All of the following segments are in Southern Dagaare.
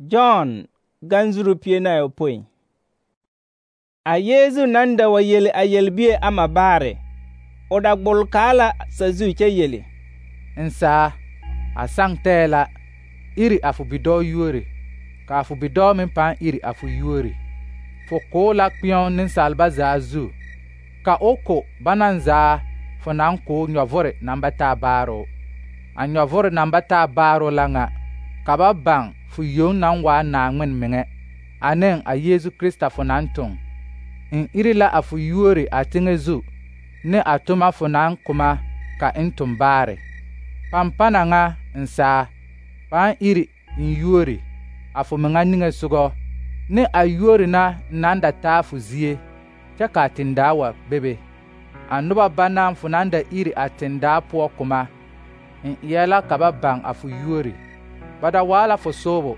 John ganzuru pie na ayopõi. A Yeezu naŋ da wa yele a yelbie ama baare, o da gbol kaa la sazu kyɛ yele: N saa, a saŋ tɛɛ la iri a fo bidɔɔ yuori, kaa fo bidɔɔ meŋ pãã iri a fo yuori. Fo koo la kpɛ̃ɔ nensalba zaa zu, ka o ko banaŋ zaa fo naŋ koo nyɔvore naŋ ba taa baaroo. A nyɔvore naŋ ba taa baaroo la ŋa, ka ba baŋ fo yoŋ naŋ waa Naaŋmen meŋɛ, aneŋ a Yeezu Krista fo naŋ toŋ. N iri la a fo yuori a teŋɛ zu, ne a toma fo naŋ koma ka n toŋ baare. Pampana ŋa n saa, pãã iri n yuori a fo meŋa niŋesogɔ, ne a yuori na naŋ da taa fo zie, kyɛ kaa tendaa wa bebe. A noba banaŋ fo naŋ da iri a tendaa poɔ koma, n eɛ la ka ba baŋ a fo yuori. Ba da waa la fo soobo,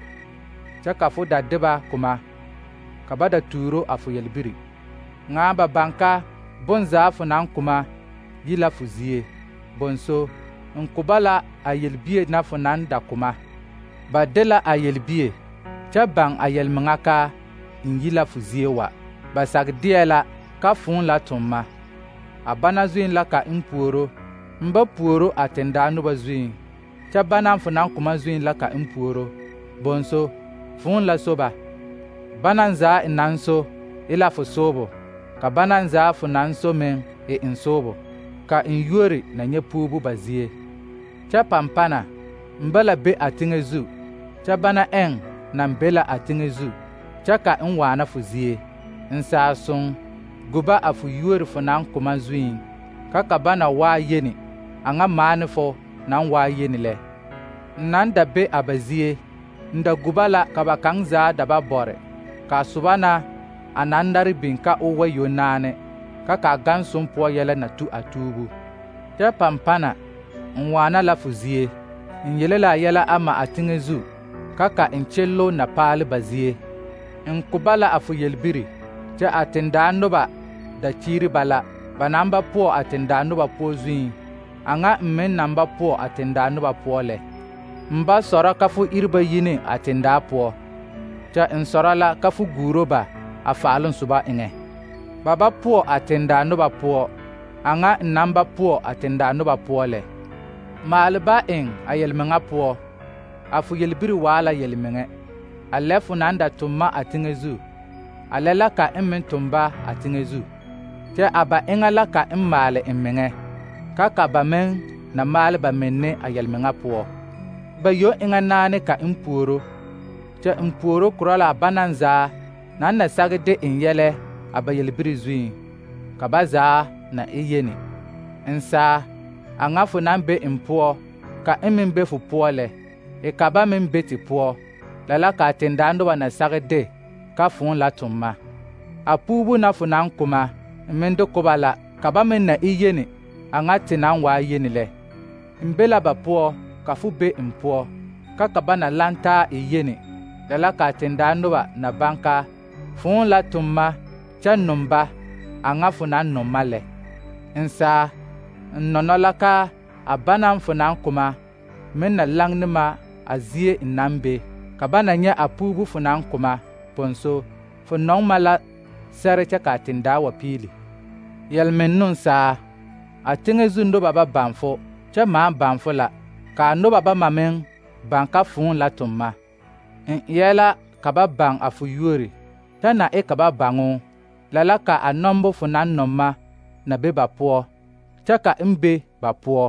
kyɛ ka fo da de ba koma, ka ba da tuuro a fo yelbiri. Ŋa ba baŋ ka bonzaa fo naŋ koma yi la fo zie. Bonso, n ko ba la a yelbie na fo naŋ da koma. Ba de la a yelbie, kyɛ baŋ a yelmeŋa ka n yi la fo zie wa. Ba sage deɛ la ka fõõ la toŋ ma. A bana zuiŋ la ka n puoro, n ba puoro a tendaa noba zuiŋ, kyɛ banaŋ fo naŋ koma zuiŋ la ka n puoro. Bonso, fõõ la so ba. Banaŋ zaa n naŋ so e la fo soobo, ka banaŋ zaa fo naŋ so meŋ e n soobo, ka n yuori na nyɛ puubu ba zie. Kyɛ pampana, n ba la be a teŋɛ zu, kyɛ bana ɛŋ naŋ be la a teŋɛ zu, kyɛ ka n waana fo zie. N saa soŋ, guba a fo yuori fo naŋ koma zuiŋ, ka bana waa yeni, a ŋa maane fo naŋ waa yeni lɛ. N naŋ da be a ba zie, n da guba la ka ba kaŋ zaa da ba bɔre, kaa soba na a naŋ nare biŋ ka o wa yonaane, ka gaŋ som poɔ yɛlɛ na tu a tuubu. Kyɛ pampana, n waana la fo zie, n yele la a yɛlɛ ama a teŋɛ zu, ka n kyello na paale ba zie. N ko ba la a fo yelbiri, kyɛ a tendaa noba da kyiiri ba la, ba naŋ ba poɔ a tendaa noba poɔ zuiŋ, a ŋa n meŋ naŋ ba poɔ a tendaa noba poɔ lɛ. N ba sɔrɔ ka fo iri ba yi ne a tendaa poɔ, kyɛ n sɔrɔ la ka fo guuro ba a faaloŋ soba eŋɛ. Ba ba poɔ a tendaa noba poɔ, a ŋa n naŋ ba poɔ a tendaa noba poɔ lɛ. Maale ba eŋ a yelmeŋa poɔ, a fo yelbiri waa la yelmeŋɛ. A lɛ fo naŋ da toŋ ma a teŋɛ zu, a lɛ la ka n meŋ toŋ ba a teŋɛ zu. Kyɛ a ba eŋa la ka n maale n meŋɛ, ka ba meŋ na maale ba menne a yelmeŋa poɔ. Ba yoŋ eŋa naane ka n puoro, kyɛ n puoro korɔ la a banaŋ zaa naŋ na sage de n yɛlɛ a ba yelbiri zuiŋ, ka ba zaa na e yeni. N saa, a ŋa fo naŋ be n poɔ, ka n meŋ be fo poɔ lɛ, e ka ba meŋ be te poɔ, la la ka a tendaa noba na sage de ka fõõ la toŋ ma. A puubu na fo naŋ koma, n meŋ de ko ba la, ka ba meŋ na e yeni, a ŋa te naŋ waa yeni lɛ. N be la ba poɔ, ka fo be n poɔ, ka ba na laŋ taa e yeni, la la ka a tendaa noba na baŋ ka fõõ la toŋ ma kyɛ nom ba, a ŋa fo naŋ nom ma lɛ. N saa, n nɔnɔ la ka a banaŋ fo naŋ koma meŋ na laŋ ne ma a zie n naŋ be, ka ba na nyɛ a puubu fo naŋ koma. Bonso, fo nɔŋ ma la sɛre kyɛ ka a tendaa wa piili. Yelmennoŋ saa, a teŋɛ zu noba ba baŋ fo, kyɛ maa baŋ fo la, ka a noba bama meŋ baŋ ka fõõ la toŋ ma. N eɛ la ka ba baŋ a fo yuori, kyɛ na e ka ba baŋo, la la ka a nɔmbo fo naŋ nɔŋ ma na be ba poɔ, kyɛ ka n be ba poɔ.